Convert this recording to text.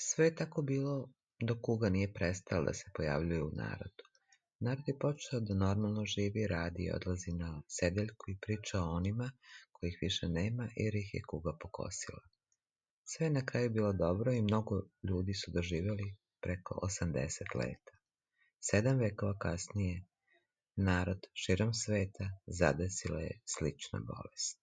Sve je tako bilo dok kuga nije prestala da se pojavljuje u narodu. Narod je počeo da normalno živi, radi i odlazi na sedeljku i priča o onima kojih više nema jer ih je kuga pokosila. Sve je na kraju bilo dobro i mnogo ljudi su doživjeli preko 80 leta. 7 vekova kasnije narod širom sveta zadesila je slična bolest.